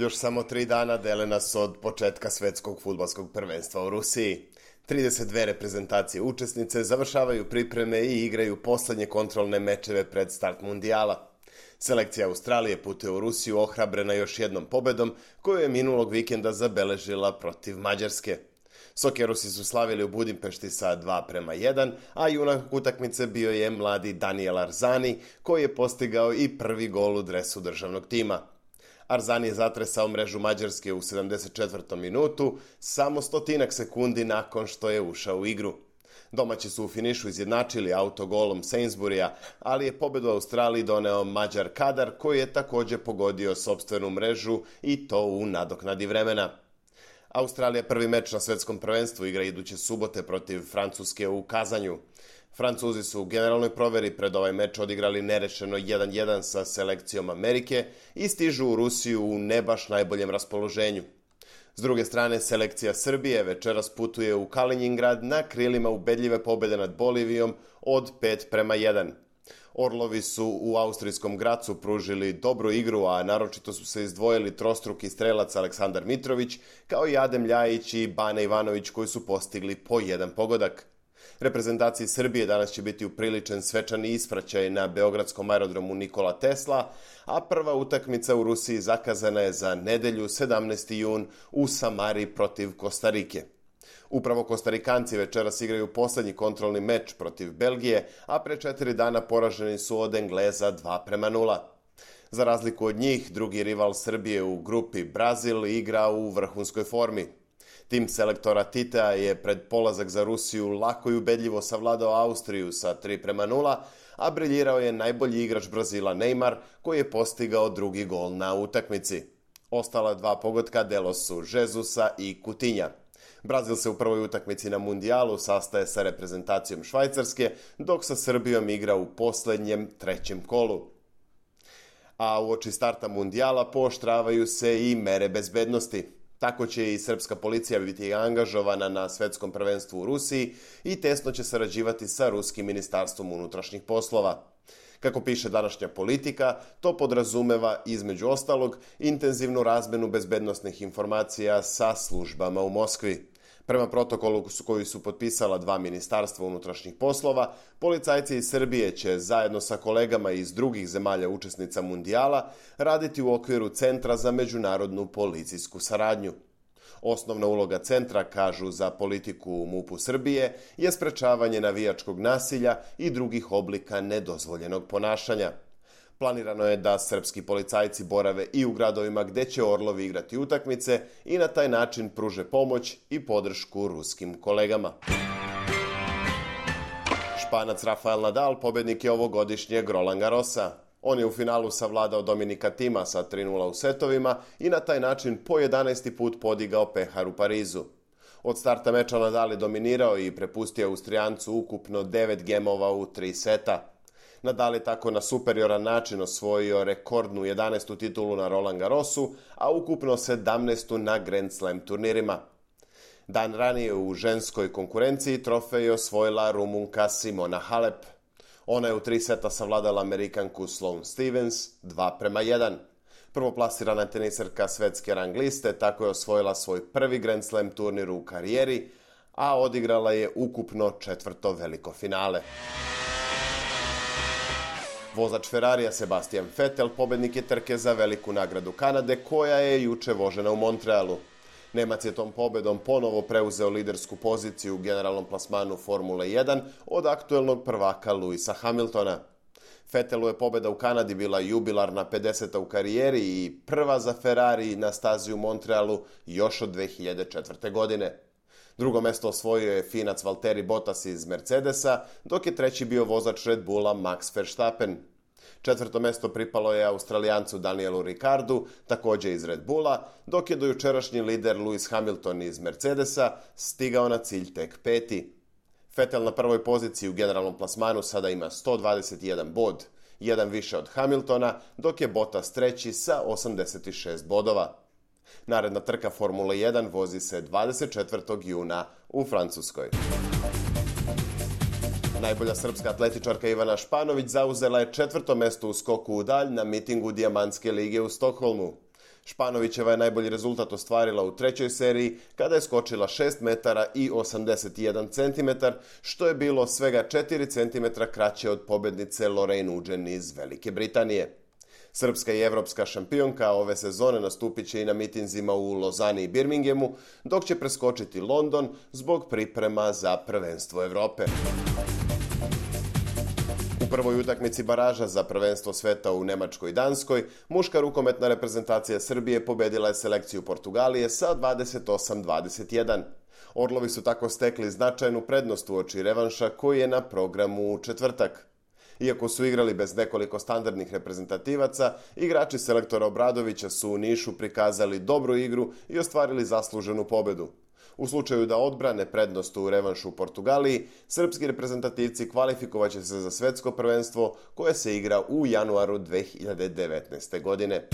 Još samo 3 dana dele nas od početka svetskog fudbalskog prvenstva u Rusiji. 32 reprezentacije učesnice završavaju pripreme i igraju poslednje kontrolne mečeve pred start mundijala. Selekcija Australije putuje u Rusiju ohrabrena još jednom pobedom koju je minulog vikenda zabeležila protiv Mađarske. Sokerusi su slavili u Budimpešti sa 2:1, a junak utakmice bio je mladi Daniel Arzani koji je postigao i prvi gol u dresu državnog tima. Arzani je zatresao mrežu Mađarske u 74. minutu, samo 100 sekundi nakon što je ušao u igru. Domaći su u finišu izjednačili autogolom Sainsburya, ali je pobedu Australiji doneo Mađar Kadar koji je također pogodio sopstvenu mrežu i to u nadoknadi vremena. Australija prvi meč na svetskom prvenstvu igra iduće subote protiv Francuske u Kazanju. Francuzi su u generalnoj proveri pred ovaj meč odigrali nerešeno 1:1 sa selekcijom Amerike i stižu u Rusiju u ne baš najboljem raspoloženju. S druge strane, selekcija Srbije večeras putuje u Kaliningrad na krilima ubedljive pobede nad Bolivijom od 5:1. Orlovi su u austrijskom Gracu pružili dobru igru, a naročito su se izdvojili trostruki strelac Aleksandar Mitrović, kao i Adem Ljajić i Bane Ivanović koji su postigli po jedan pogodak. Reprezentaciji Srbije danas će biti upriličen svečani ispraćaj na beogradskom aerodromu Nikola Tesla, a prva utakmica u Rusiji zakazana je za nedelju 17. jun u Samari protiv Kostarike. Upravo Kostarikanci večeras igraju poslednji kontrolni meč protiv Belgije, a pre 4 dana poraženi su od Engleza 2:0. Za razliku od njih, drugi rival Srbije u grupi Brazil igra u vrhunskoj formi. Tim selektora Titea je pred polazak za Rusiju lako i ubedljivo savladao Austriju sa 3:0, a briljirao je najbolji igrač Brazila Neymar koji je postigao drugi gol na utakmici. Ostala 2 pogotka delo su Žezusa i Kutinja. Brazil se u prvoj utakmici na mundijalu sastaje sa reprezentacijom Švajcarske, dok sa Srbijom igra u poslednjem 3. kolu. A uoči starta mundijala pooštravaju se i mere bezbednosti. Tako će i srpska policija biti angažovana na svetskom prvenstvu u Rusiji i tesno će sarađivati sa ruskim ministarstvom unutrašnjih poslova. Kako piše današnja Politika, to podrazumeva, između ostalog, intenzivnu razmenu bezbednosnih informacija sa službama u Moskvi. Prema protokolu koji su potpisala 2 ministarstva unutrašnjih poslova, policajci iz Srbije će zajedno sa kolegama iz drugih zemalja učesnica mundijala raditi u okviru Centra za međunarodnu policijsku saradnju. Osnovna uloga centra, kažu za Politiku u MUP-u Srbije, je sprečavanje navijačkog nasilja i drugih oblika nedozvoljenog ponašanja. Planirano je da srpski policajci borave i u gradovima gde će Orlovi igrati utakmice i na taj način pruže pomoć i podršku ruskim kolegama. Španac Rafael Nadal pobednik je ovogodišnjeg Roland Garrosa. On je u finalu savladao Dominika Thima sa 3:0 u setovima i na taj način po 11. put podigao pehar u Parizu. Od starta meča Nadal je dominirao i prepustio Austrijancu ukupno 9 gemova u 3 seta. Nadal je tako na superioran način osvojio rekordnu 11. titulu na Roland Garrosu, a ukupno 17. na Grand Slam turnirima. Dan ranije u ženskoj konkurenciji trofej je osvojila Rumunka Simona Halep. Ona je u 3 seta savladala Amerikanku Sloane Stevens 2:1. Prvoplasirana teniserka svetske rang liste tako je osvojila svoj prvi Grand Slam turnir u karijeri, a odigrala je ukupno 4. veliko finale. Vozač Ferrarija Sebastian Vettel pobednik je trke za veliku nagradu Kanade koja je juče vožena u Montrealu. Nemac je tom pobedom ponovo preuzeo lidersku poziciju u generalnom plasmanu Formule 1 od aktuelnog prvaka Lewisa Hamiltona. Vettelu je pobeda u Kanadi bila jubilarna 50. u karijeri i prva za Ferrari na stazi u Montrealu još od 2004. godine. Drugo mesto osvojio je Finac Valtteri Bottas iz Mercedesa, dok je treći bio vozač Red Bulla Max Verstappen. 4. mesto pripalo je Australijancu Danielu Ricciardu, također iz Red Bulla, dok je dojučerašnji lider Lewis Hamilton iz Mercedesa stigao na cilj tek 5. Vettel na prvoj poziciji u generalnom plasmanu sada ima 121 bod, jedan više od Hamiltona, dok je Bottas treći sa 86 bodova. Naredna trka Formule 1 vozi se 24. juna u Francuskoj. Najbolja srpska atletičarka Ivana Španović zauzela je 4. mesto u skoku u dalj na mitingu Dijamantske lige u Stokholmu. Španovićeva je najbolji rezultat ostvarila u trećoj seriji kada je skočila 6 metara i 81 cm, što je bilo svega 4 cm kraće od pobednice Lorraine Nugent iz Velike Britanije. Srpska i evropska šampionka ove sezone nastupit će i na mitinzima u Lozani i Birminghamu, dok će preskočiti London zbog priprema za prvenstvo Evrope. U prvoj utakmici baraža za prvenstvo sveta u Nemačkoj i Danskoj, muška rukometna reprezentacija Srbije pobedila je selekciju Portugalije sa 28-21. Orlovi su tako stekli značajnu prednost uoči revanša koji je na programu u četvrtak. Iako su igrali bez nekoliko standardnih reprezentativaca, igrači selektora Obradovića su u Nišu prikazali dobru igru i ostvarili zasluženu pobedu. U slučaju da odbrane prednost u revanšu u Portugaliji, srpski reprezentativci kvalifikovaće se za svetsko prvenstvo koje se igra u januaru 2019. godine.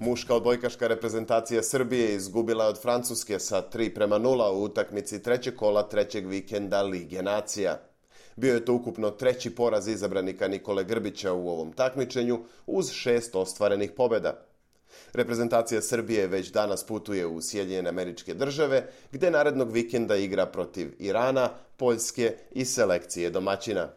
Muška odbojkaška reprezentacija Srbije izgubila je od Francuske sa 3:0 u utakmici trećeg kola trećeg vikenda Lige nacija. Bio je to ukupno treći poraz izabranika Nikole Grbića u ovom takmičenju uz 6 ostvarenih pobjeda. Reprezentacija Srbije već danas putuje u Sjedinjene Američke Države, gde narednog vikenda igra protiv Irana, Poljske i selekcije domaćina.